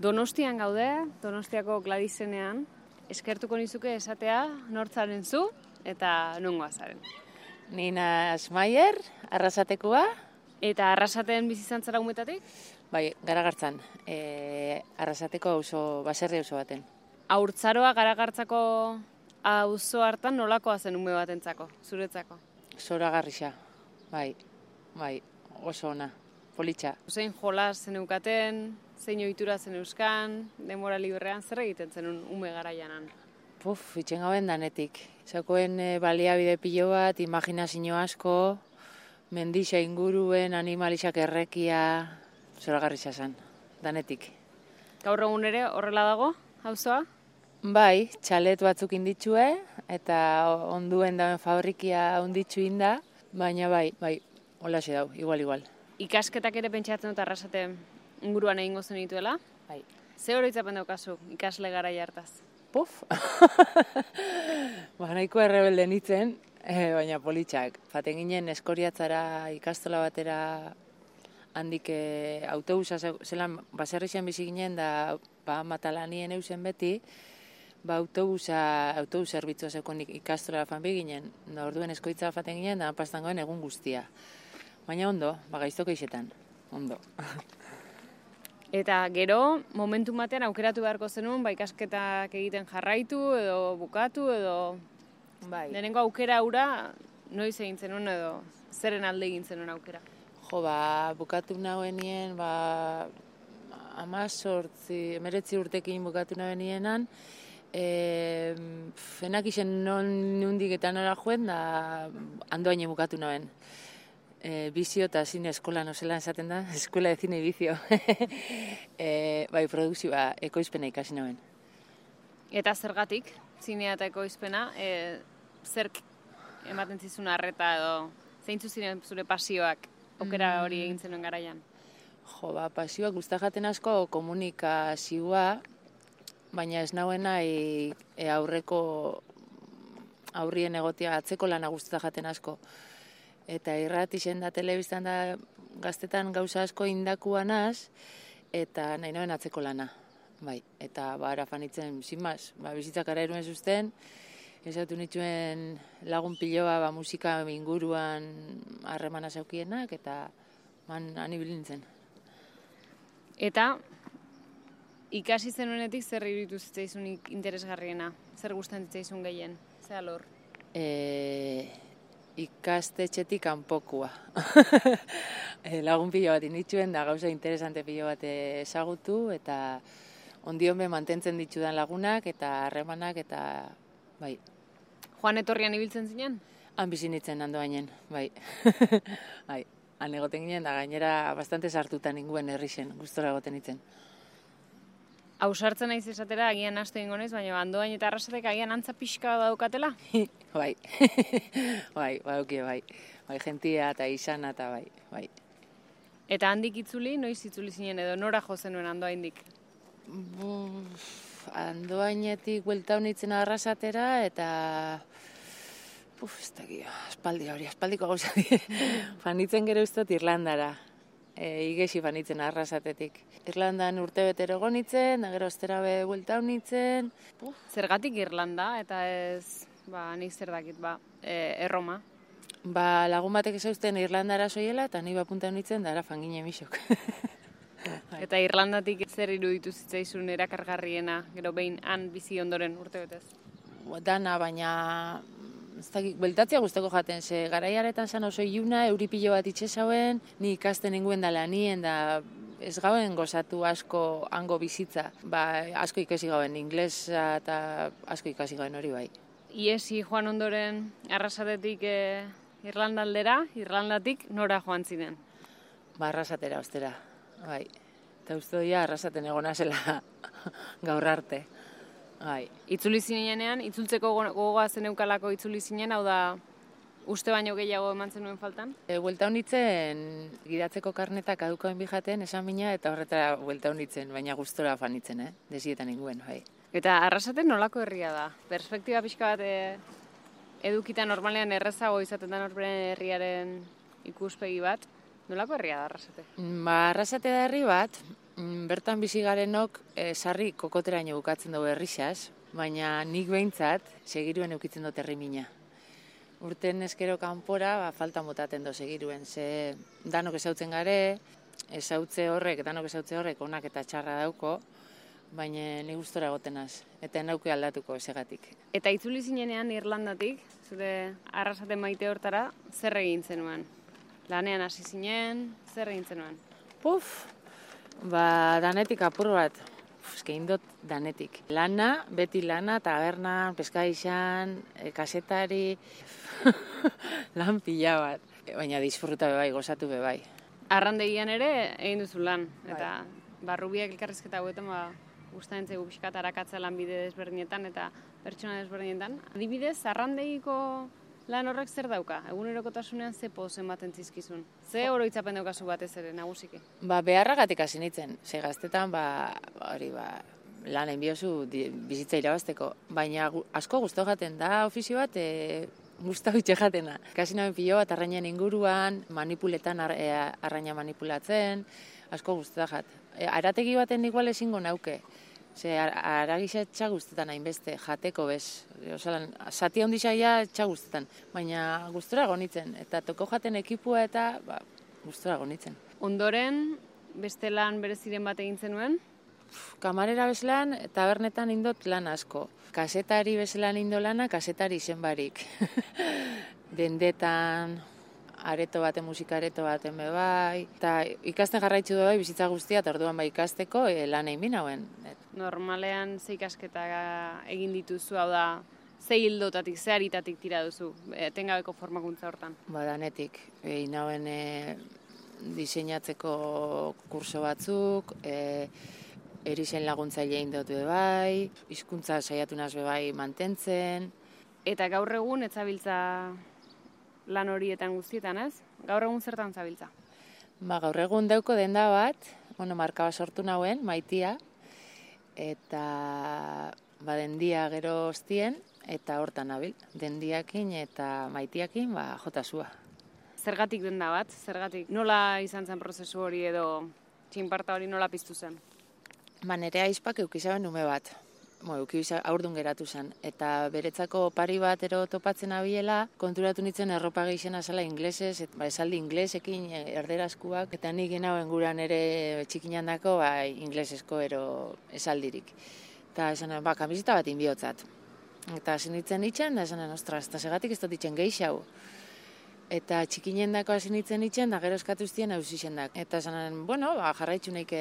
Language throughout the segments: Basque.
Donostian gaude, Donostiako Gladizenean. Eskertuko nizuke esatea nortzaren zu eta nungoa zaren. Nina Maier, Arrasatekoa. Eta Arrasaten bizi izan zara umetatik? Bai, Garagartzan. Arrasateko baserri auzo baten. Haurtzaroa Garagartzako auzo hartan nolakoa zen ume batentzako, zuretzako? Zoragarria, bai, oso ona, politxa. Zein jolas zeneukaten, zein ohitura zeneuzkan, denbora librean, zer egiten zenun ume garaianan? Itxen gauen danetik. Zakoen baliabide pilo bat, imaginazio asko, mendixa inguruen, animalixak errekia, zoragarria zen, danetik. Gaur egun ere horrela dago, auzoa? Bai, txalet batzuk inditxue, eta onduen dauen fabrikia onditxu inda, baina bai, holaxe dau, igual. Ikasketak ere pentsatzen dut Arrasate inguruan egingo zenituela? Bai. Ze oroitzapen daukazu ikasle garaia hartaz? Nahiko errebelde nintzen, baina politxak. Faten ginen Eskoriatzara ikastola batera handik autobusa zelan baserrixen bizi ginen da matalanien eusen beti, autobus zerbitzua zeukon ikastola fanbi ginen, da orduen Eskoitza faten ginen, da pastangoen egun guztia. Baina ondo, gaiztoko isetan, ondo. Eta gero, momentu batean aukeratu beharko zenuen, ikasketak egiten jarraitu edo bukatu edo... Bai. Lehenengo aukera hura, noiz egin zenuen edo zeren alde egin zenuen aukera? Bukatu nagoenien, 19 urtekin bukatu nagoenienan, fenak izen nundik eta nora joen, da Andoaine bukatu nagoen. Bizio eta zine eskola, zelan esaten da, eskuela de zine bizio. Produkzioa ekoizpena ikasi nagoen. Eta zergatik, zinea eta ekoizpena, zerk ematen zizun arreta edo zeintzu ziren zure pasioak aukera hori egin zenuen garaian? Pasioak guztak jaten asko komunikazioa, baina ez nagoena aurrien egotia atzeko lana guztak jaten asko. Eta irratixen da, telebistan da, gaztetan gauza asko indakuanaz, eta nahi noen atzeko lana. Bai, eta ara fanitzen, zinmaz, bizitzak ara eruen zuzten, esatu nituen lagun piloa musika inguruan harremana zaukienak, eta han ibili nintzen. Eta ikasi zenuenetik zer iruditu zitzaizun interesgarriena? Zer gustatzen zitzaizun gehien? Zer alor? Ikastetxetik kanpokua. Lagun pilo bat indituen, da gauza interesante pilo bat ezagutu, eta ondion mantentzen ditudan lagunak, eta harremanak, eta bai. Joan etorrian ibiltzen zinen? Han bizi nintzen Andoainen, bai. Bai, han egoten ginen, da gainera bastante sartutan ninguen herrixen, gustora egoten nintzen. Ausartzen naiz esatera, agian astu egingo naiz, baina Andoain eta Arrasatek agian antza pixka daukatela? Bai, badaukie, bai. Bai, jentia eta izana eta bai. Eta handik itzuli, noiz itzuli zinen edo nora jo zenuen Andoaindik? Andoainetik buelta honitzen Arrasatera eta... ez dakit, espaldiko gauza die. Fanitzen gero ustot Irlandara. Igesi fanitzen Arrasatetik. Irlandan urte betero gonitzen, da gero ostera buelta honitzen. Zergatik Irlanda eta ez, nik zer dakit, Erroma? Lagun batek esauzten Irlandara soiela eta ni punta honitzen da ara fangine emisok. Eta Irlandatik zer iruditu zitzaizun erakargarriena, gero behin han bizi ondoren urte betez? Dana, baina beltatzea guzteko jaten, ze garaiaretan zan oso iluna, euripilo bat itxesauen, ni ikasten inguen da lanien, da ez gauen gozatu asko hango bizitza. Asko ikasi gauen, inglesa eta asko ikasi gauen hori bai. Iesi joan ondoren Arrasatetik Irlandaldera, Irlandatik nora joan ziren? Arrasatera, ostera, bai. Eta uste doia Arrasaten egona zela gaur arte. Bai. Itzuli zinenean, itzultzeko gogoa zeneukalako itzuli zinen, hau da uste baino gehiago eman zenuen faltan? Buelta honitzen, gidatzeko karnetak adukoen bijaten, esan mina, eta horretara buelta honitzen, baina gustora fanitzen, desietan inguen, bai. Eta Arrasaten nolako herria da? Perspektiba pixka bat edukita normalean errezago izaten da norberen herriaren ikuspegi bat. Nolako herria da Arrasate? Arrasate da herri bat, Bertan bizi garenok sarri kokoteraino bukatzen dugu errixaz, baina nik behintzat segiruen eukitzen dut herrimina. Urten eskero kanpora falta motaten do segiruen, ze danok ezautzen gare, danok ezautze horrek onak eta txarra dauko, baina ni gustora gotenaz, eta nauke aldatuko esegatik. Eta itzuli zinenean Irlandatik, zure arrasate maite hortara, zer egin zenuen? Lanean hasi zinen, zer egin zenuen? Danetik apur bat. Eskein dut danetik. Lana, beti lana, tabernan, peskaixan, kasetari, lan pila bat. Baina disfruta bebai, gozatu bebai. Arrandegian ere egin duzu lan, eta barrubiak elkarrizketa hauetan gustatzen zaigu pixkat arakatzea lanbide desberdinetan eta pertsona desberdinetan. Adibidez, arrandegiko lan horrek zer dauka? Egunerokotasunean ze poz ematen zizkizun? Ze oroitzapen daukazu batez ere nagusiki? Beharragatik hasi nintzen. Ze gaztetan, lan enbiozu bizitza irabazteko. Baina asko guztu jaten da ofizio bat, guztau itxe jatena. Kasi naben pilo bat arrainen inguruan, manipuletan arraina manipulatzen, asko guztu da jat. Arategi baten igual ezingo nauke. Ze aragisa txaguztetan hainbeste, jateko bez. Osalan, zati handi saia txaguztetan. Baina gustora gonitzen. Eta toko jaten ekipua eta gustora gonitzen. Ondoren, beste lan bereziren bat egin zenuen? Kamarera bezlan, tabernetan indot lan asko. Kasetari bezlan indo lana, kasetari izen barik. Dendetan, areto baten, musika areto baten bebai. Eta ikasten jarraitzu bai bizitza guztia, eta orduan ikasteko lan egin binauen. Normalean ze ikasketa egin dituzu, hau da, ze hildotatik, ze aritatik tira duzu, etengabeko formakuntza hortan? Danetik, inauen diseinatzeko kurso batzuk, erizen laguntzaile indot bebai, hizkuntza saiatu naz bebai mantentzen. Eta gaur egun etzabiltza lan horietan guztietan, ez? Gaur egun zertan zabiltza? Gaur egun dauko denda bat, marka bat sortu nauen, Maitia, eta dendia gero ostien, eta hortan nabil, dendiakin eta Maitiakin jotasua. Zergatik denda bat? Zergatik? Nola izan zen prozesu hori edo txinparta hori nola piztu zen? Nere aizpak eukizaben ume bat. Aurdun geratu zen. Eta beretzako pari bat topatzen abiela, konturatu nintzen erropa gehizena zela inglesez, esaldi inglesekin erderazkuak, eta nik genauen guran ere txikinan dako inglesezko esaldirik. Eta esanen, kamiseta bat inbiotzat. Eta hasi nintzen itxen, da esanen, ostras, eta segatik ez dut itxen gehixau. Eta txikinen dako hasi nintzen itxen, da gero eskatu zitien hausixen dak. Eta esanen, jarraitzu naik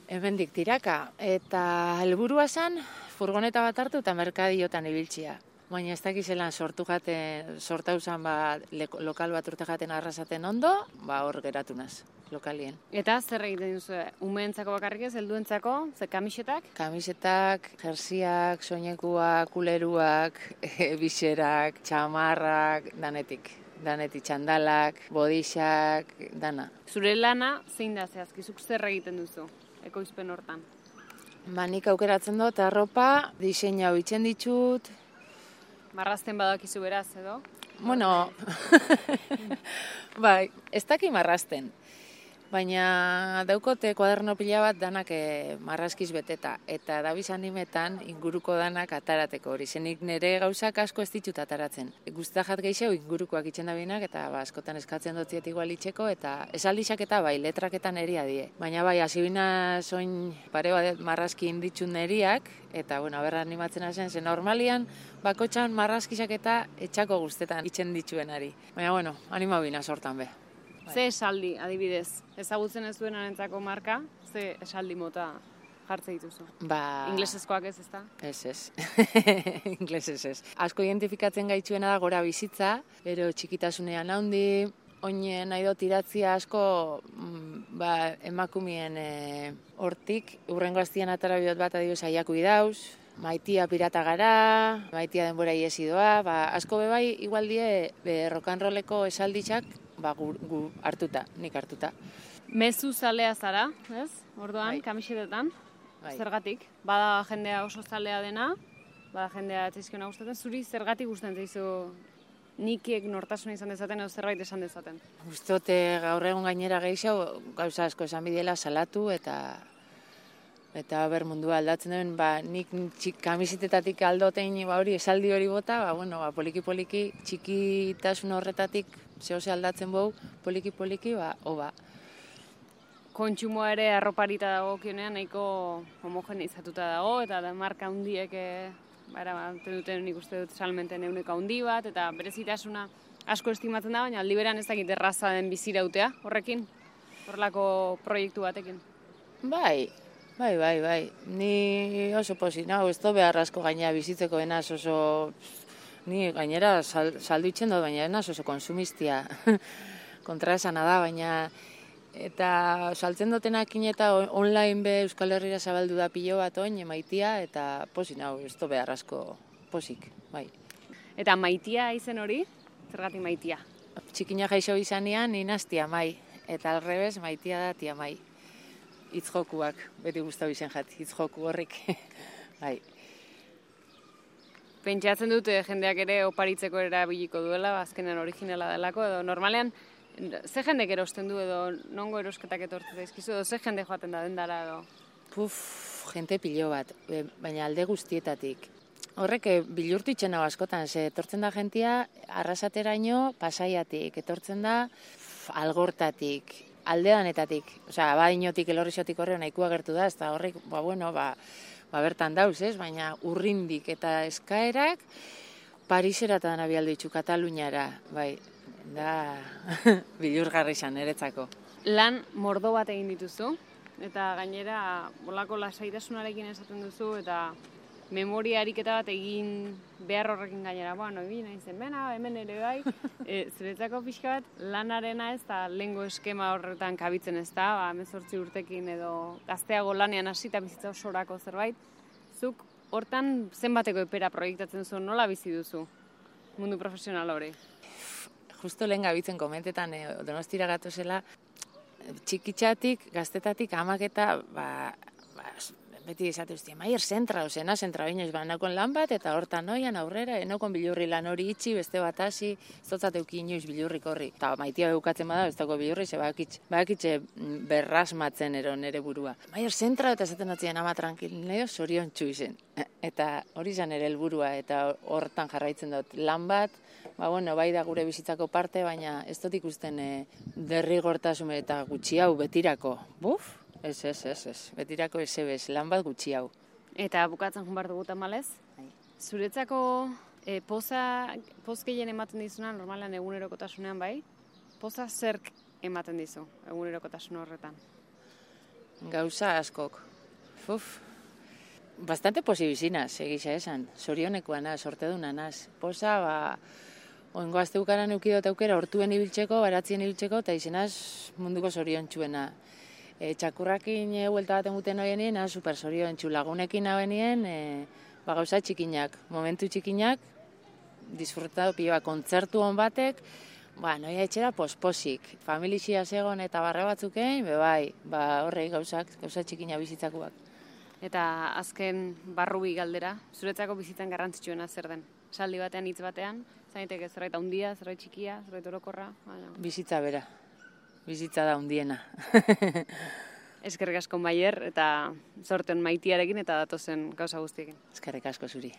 hemendik tiraka. Eta helburua zen, furgoneta bat hartu eta merkadiotan ibiltzia. Baina ez dakizelan sortau zen lokal bat urte jaten arrasaten ondo, hor geratu naz, lokalien. Eta zer egiten duzu, umeentzako bakarrik ez, helduentzako, ze kamisetak? Kamisetak, jersiak, soinekuak, kuleruak, bixerak, txamarrak, danetik. Danetik txandalak, bodixak, dana. Zure lana zein da zehazkizuk zer egiten duzu, ekoizpen hortan? Nik aukeratzen dut, arropa, diseina bitzen ditut. Marrazten badakizu beraz, edo? Ez daki marrazten. Baina daukote kuaderno pila bat danak marrazkiz beteta. Eta dabiz animetan inguruko danak atarateko hori. Zenik nire gauzak asko ez ditut ataratzen. Guztajat gehiago ingurukoak itxen dabinak eta askotan eskatzen dutziet igual itxeko eta esaldixak eta letraketan eria die. Baina hasibina soin pare bat marrazki inditxun neriak eta berra animatzen hazen zen normalian bakotxan marrazkizak eta etxako guztetan itxen ditxuenari. Baina animabina sortan be. Ze esaldi, adibidez, ezagutzen ez duen arentzako marka, ze esaldi mota jartze dituzu? Inglesezkoak ez, ezta? Ez. Inglesez ez. Asko identifikatzen gaitzuena da gora bizitza, ero txikitasunean handi, oinen nahi dut iratzia asko emakumien hortik, urrengo aztian atara bihot bat adibidez aiaku idauz, Maitia pirata gara, Maitia denbora iesi doa, asko bebai igual die rock'n'rolleko esalditxak gu hartuta, nik hartuta. Mezu zalea zara, ez? Orduan, kamisetetan, zergatik? Bada jendea oso zalea dena, bada jendea etzaizkiona gustatzen, zuri zergatik gustatzen zaizu nikiek nortasuna izan dezaten edo zerbait esan dezaten? Gustote gaur egun gainera gehiago gauza asko esan bidiela salatu eta Eta mundua aldatzen duen, nik kamisetetatik aldotein hori esaldi hori bota, poliki-poliki txikitasun horretatik zehose aldatzen bau, poliki-poliki, hoba. Kontsumoa ere arroparita dagokionean nahiko homogeneizatuta dago, eta da marka handiek duten nik uste dut salmenten ehuneko handi bat, eta berezitasuna asko estimatzen da, baina aldi beran ez dakit erraza den bizirautea horrekin, horrelako proiektu batekin. Bai. Ni oso pozik, ez do behar asko gainera bizitzeko enaz oso... Ni gainera saldu itzen dut, baina enaz oso konsumistia. Kontra esana da, baina... Eta saltzen dutenakin eta online be Euskal Herrira zabaldu da pilo bat oin, Maitia, eta pozik, ez do behar asko pozik, bai. Eta Maitia izen hori? Zergatik Maitia? Txikina gaixo izanean, inaztia mai. Eta alrebez, Maitia da tia mai. Hitzjokuak, beti guztau izen jat, hitzjoku horrik. Bai. Pentsatzen dut jendeak ere oparitzeko erabiliko duela, azkenean originala delako, edo normalean, ze jendek erosten du edo nongo erosketak etortzen daizkizu, edo ze jende joaten da dendara edo? Jente pilo bat, baina alde guztietatik. Horrek bilurtu itxen hau askotan, etortzen da jentia Arrasateraino Pasaiatik, etortzen da Algortatik, aldeanetatik, Abadiñotik, Elorrixotik horre nahikoa gertu da, ez da horrek, bertan dauz, ez? Baina urrindik eta eskaerak Pariseratan abialdu itxu, Kataluniara, bai, da bilurgarri izan eretzako. Lan mordo bat egin dituzu, eta gainera bolako lasaitasunarekin esaten duzu, eta memoria ariketa bat egin behar horrekin gainera, egin nahi zen, hemen ere bai, zuretzako pixka bat lanarena ez da lehengo eskema horretan kabitzen ez da, 18 urtekin edo gazteago lanean hasita bizitza osorako zerbait, zuk hortan zenbateko epera proiektatzen zuen, nola bizi duzu mundu profesional hori? Justo lehen gabitzen komentetan Donostira gatozela, txikitxatik, gaztetatik, amak eta, beti esate uztien, Maier zentra, zentra binoiz, nakon lan bat, eta hortan noian aurrera, enokon bilurri lan hori itxi, beste bat hasi, zotzateuki inoiz bilurrik horri. Eta Maitia beukatzen bada, ez dago bilurri, bakitxe berrasmatzen nere burua. Maier zentra, eta esaten datzien ama tranquil, nio zorion txuizen. Eta hori zan ere helburua, eta hortan jarraitzen dut lan bat, bai da gure bizitzako parte, baina ez dut ikusten derrigortasun eta gutxi hau betirako. Ez. Betirako ez, lan bat gutxi hau. Eta bukatzen joan behar dugu tamalez? Zuretzako poz gehien ematen dizuna, normalan egunerokotasunean bai? Poza zerk ematen dizu egunerokotasun horretan? Gauza askok. Bastante posibizinaz, egisa esan. Zorionekoa naz, sorteduna naz. Poza, oingo azteukaran eukidot aukera hortuen ibiltzeko, baratzien ibiltzeko, eta izenaz munduko zoriontsuena. Txakurrakin huelta baten guten hoienien, super zoriontsu lagunekin habenien, gauza txikinak, momentu txikinak, disfrutatu pioa kontzertu hon batek, noia etxera posposik, familixia zegoen eta barre batzukein, horrei gauza txikina bizitzakoak. Eta azken barrubi galdera, zuretzako bizitzan garrantzitsuena zer den? Saldi batean, hitz batean, zaineteke zerbait handia, zerbait txikia, zerbait orokorra? Bizitza bera, bizitza da handiena. Eskerrik asko Maier, eta zorten Maitiarekin eta datozen gauza guztiekin. Eskerrik asko zuri.